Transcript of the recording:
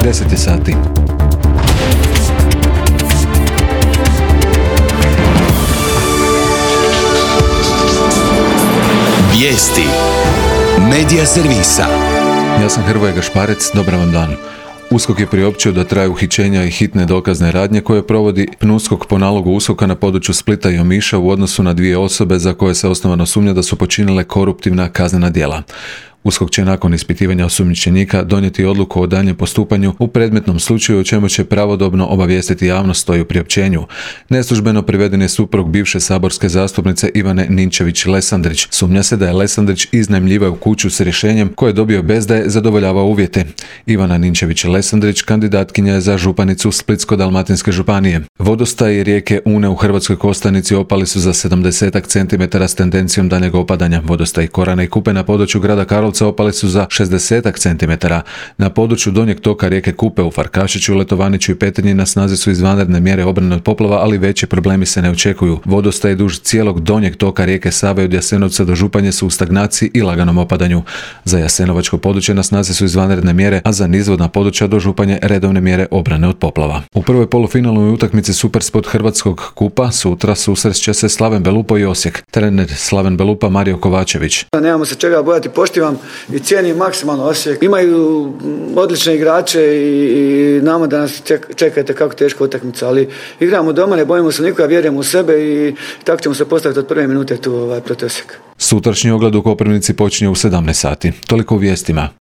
10 je sati. Vijesti Medija servisa. Ja sam Hrvoje Gašparec, dobar vam dan. USKOK je priopćio da traju uhićenja i hitne dokazne radnje koje provodi PNUSKOK po nalogu USKOK-a na području Splita i Omiša u odnosu na 2 osobe za koje se osnovano sumnja da su počinile koruptivna kaznena djela. USKOK će nakon ispitivanja osumnjičenika donijeti odluku o daljnjem postupanju u predmetnom slučaju, o čemu će pravodobno obavijestiti javnost, stoji u priopćenju. Neslužbeno priveden je suprug bivše saborske zastupnice Ivane Ninčević-Lesandrić. Sumnja se da je Lesandrić iznajmljivao kuću s rješenjem koje je dobio bez da je zadovoljavao uvjete. Ivana Ninčević-Lesandrić kandidatkinja je za županicu Splitsko-dalmatinske županije. Vodostaji rijeke Une u Hrvatskoj Kostajnici opali su za 70 cm s tendencijom daljnjeg opadanja. Vodostaji Korane i Kupe na području grada Karlovca opali su za 60 cm. Na području donjeg toka rijeke Kupe u Farkašiću, Letovaniću i Petrinji na snazi su izvanredne mjere obrane od poplava, ali veći problemi se ne očekuju. Vodostaji duž cijelog donjeg toka rijeke Save od Jasenovca do Županje su u stagnaciji i laganom opadanju. Za jasenovačko područje na snazi su izvanredne mjere, a za nizvodna područja do Županje redovne mjere obrane od poplava. U prvoj polufinalnoj utakmici Supersport Hrvatskog kupa sutra susrest će se Slaven Belupo i Osijek. Trener Slaven Belupa Mario Kovačević. Nemamo se čega bojati, poštivam i cijenim maksimalno Osijek. Imaju odlične igrače i znamo da nas čekate kako teška utakmica, ali igramo doma, ne bojimo se nikoga, vjerujemo u sebe i tako ćemo se postaviti od prve minute tu protiv Osijeka. Sutrašnji ogled u Koprivnici počinje u 17 sati. Toliko u vijestima.